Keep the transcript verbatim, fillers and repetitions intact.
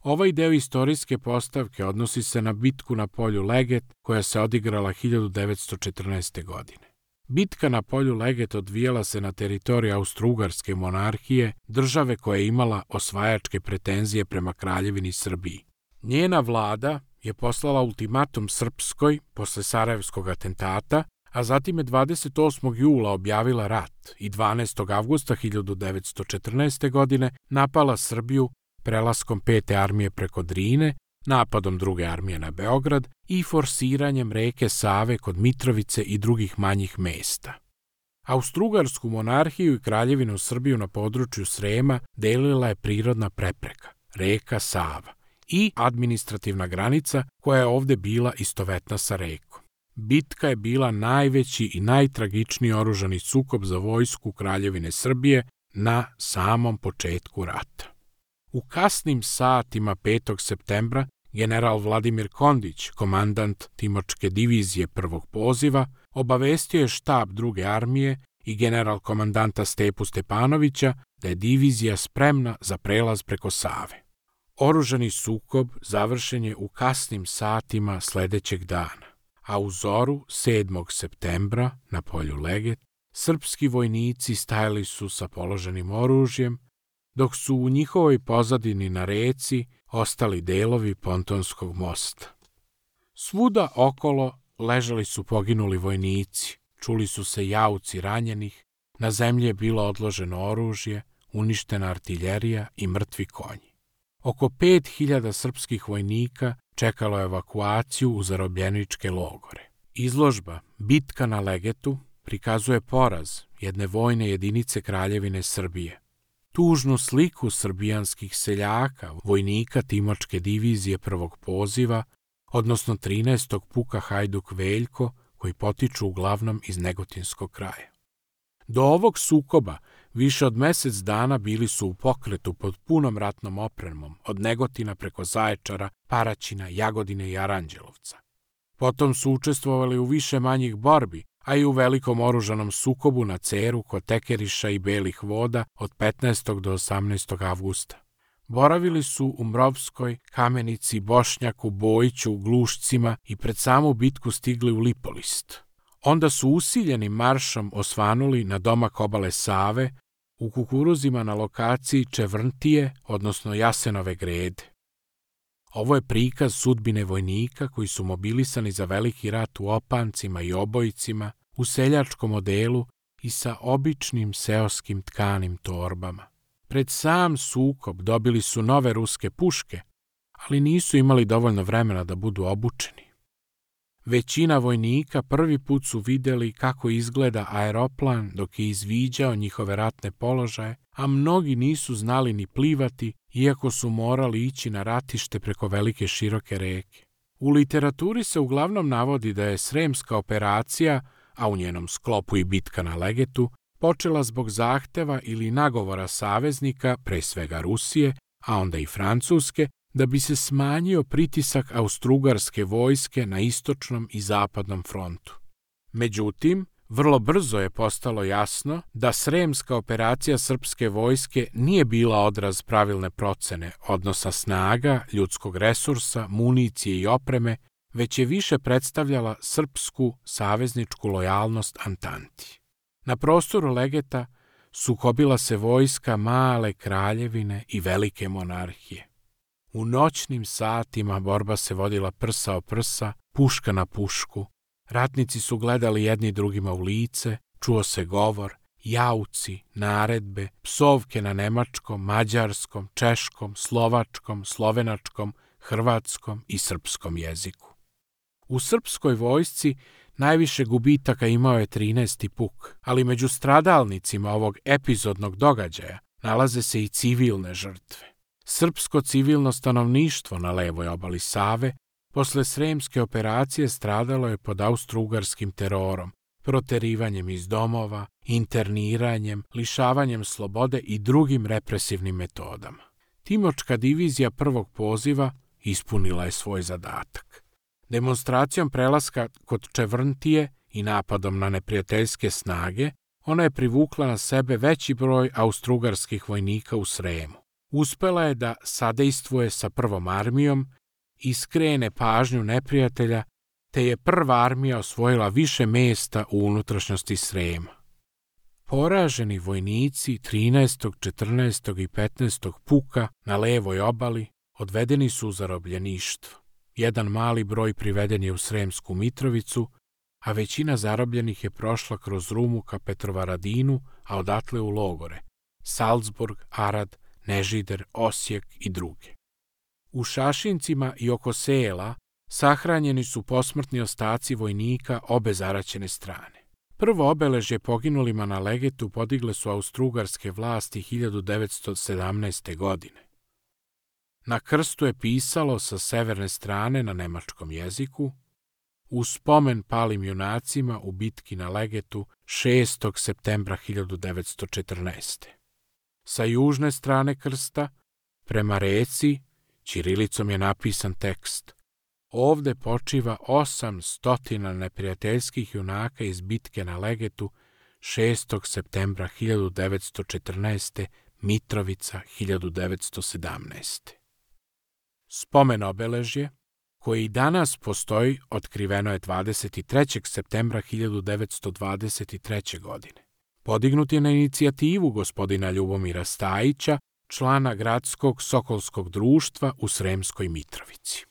Ovaj deo istorijske postavke odnosi se na bitku na polju Leget koja se odigrala hiljadu devetsto četrnaeste. godine. Bitka na polju Leget odvijala se na teritoriji Austro-Ugarske monarhije, države koja je imala osvajačke pretenzije prema Kraljevini Srbiji. Njena vlada je poslala ultimatum Srpskoj posle Sarajevskog atentata, a zatim je dvadeset osmog jula objavila rat i dvanaestog avgusta hiljadu devetsto četrnaeste. godine napala Srbiju prelaskom pete armije preko Drine, napadom druge armije na Beograd i forsiranjem reke Save kod Mitrovice i drugih manjih mesta. Austro-Ugarsku monarhiju i Kraljevinu Srbiju na području Srema delila je prirodna prepreka, reka Sava, i administrativna granica koja je ovde bila istovetna sa rekom. Bitka je bila najveći i najtragičniji oružani sukob za vojsku Kraljevine Srbije na samom početku rata. U kasnim satima petog septembra general Vladimir Kondić, komandant Timočke divizije prvog poziva, obavestio je štab druge armije i general komandanta Stepu Stepanovića da je divizija spremna za prelaz preko Save. Oružani sukob završen je u kasnim satima sledećeg dana, a u zoru sedmog septembra na polju Leget srpski vojnici stajali su sa položenim oružjem, dok su u njihovoj pozadini na reci ostali delovi pontonskog mosta. Svuda okolo ležali su poginuli vojnici, čuli su se jauci ranjenih, na zemlji je bilo odloženo oružje, uništena artiljerija i mrtvi konji. Oko pet hiljada srpskih vojnika čekalo je evakuaciju u zarobljeničke logore. Izložba Bitka na Legetu prikazuje poraz jedne vojne jedinice Kraljevine Srbije. Tužnu sliku srbijanskih seljaka, vojnika Timočke divizije prvog poziva, odnosno trinaestog puka Hajduk Veljko, koji potiču uglavnom iz Negotinskog kraja. Do ovog sukoba više od mesec dana bili su u pokretu pod punom ratnom opremom, od Negotina preko Zaječara, Paraćina, Jagodine i Aranđelovca. Potom su učestvovali u više manjih borbi, a i u velikom oružanom sukobu na Ceru kod Tekeriša i Belih voda od petnaestog do osamnaestog avgusta. Boravili su u Mrovskoj, Kamenici, Bošnjaku, Bojiću, Glušcima i pred samu bitku stigli u Lipolist. Onda su usiljenim maršom osvanuli na domak obale Save, u kukuruzima na lokaciji Čevrntije, odnosno Jasenove grede. Ovo je prikaz sudbine vojnika koji su mobilisani za veliki rat u opancima i obojicima, u seljačkom odelu i sa običnim seoskim tkanim torbama. Pred sam sukob dobili su nove ruske puške, ali nisu imali dovoljno vremena da budu obučeni. Većina vojnika prvi put su videli kako izgleda aeroplan dok je izviđao njihove ratne položaje, a mnogi nisu znali ni plivati, iako su morali ići na ratište preko velike široke reke. U literaturi se uglavnom navodi da je Sremska operacija, a u njenom sklopu i bitka na Legetu, počela zbog zahteva ili nagovora saveznika, pre svega Rusije, a onda i Francuske, da bi se smanjio pritisak austrougarske vojske na istočnom i zapadnom frontu. Međutim, vrlo brzo je postalo jasno da Sremska operacija srpske vojske nije bila odraz pravilne procene odnosa snaga, ljudskog resursa, municije i opreme, već je više predstavljala srpsku savezničku lojalnost Antanti. Na prostoru Legeta sukobila se vojska male kraljevine i velike monarhije. U noćnim satima borba se vodila prsa o prsa, puška na pušku. Ratnici su gledali jedni drugima u lice, čuo se govor, jauci, naredbe, psovke na nemačkom, mađarskom, češkom, slovačkom, slovenačkom, hrvatskom i srpskom jeziku. U srpskoj vojsci najviše gubitaka imao je trinaesti puk, ali među stradalnicima ovog epizodnog događaja nalaze se i civilne žrtve. Srpsko civilno stanovništvo na levoj obali Save posle Sremske operacije stradalo je pod austrougarskim terorom, proterivanjem iz domova, interniranjem, lišavanjem slobode i drugim represivnim metodama. Timočka divizija prvog poziva ispunila je svoj zadatak. Demonstracijom prelaska kod Čevrntije i napadom na neprijateljske snage, ona je privukla na sebe veći broj austrougarskih vojnika u Sremu. Uspela je da sadejstvuje sa prvom armijom i skrene pažnju neprijatelja, te je prva armija osvojila više mesta u unutrašnjosti Srema. Poraženi vojnici trinaestog, četrnaestog i petnaestog puka na levoj obali odvedeni su u zarobljeništvo. Jedan mali broj priveden je u Sremsku Mitrovicu, a većina zarobljenih je prošla kroz Rumu ka Petrovaradinu, a odatle u logore Salzburg, Arad, Nežider, Osijek i druge. U Šašincima i oko sela sahranjeni su posmrtni ostaci vojnika obe zaraćene strane. Prvo obeležje poginulima na Legetu podigle su austrougarske vlasti hiljadu devetsto sedamnaeste. godine. Na krstu je pisalo sa severne strane na nemačkom jeziku: u spomen palim junacima u bitki na Legetu šestog septembra hiljadu devetsto četrnaeste. Sa južne strane krsta, prema reci, ćirilicom je napisan tekst: ovde počiva osam stotina neprijateljskih junaka iz bitke na Legetu šestog septembra hiljadu devetsto četrnaeste. Mitrovica hiljadu devetsto sedamnaeste. Spomen obeležje, koje i danas postoji, otkriveno je dvadeset trećeg septembra hiljadu devetsto dvadeset treće. godine. Podignut je na inicijativu gospodina Ljubomira Stajića, člana gradskog Sokolskog društva u Sremskoj Mitrovici.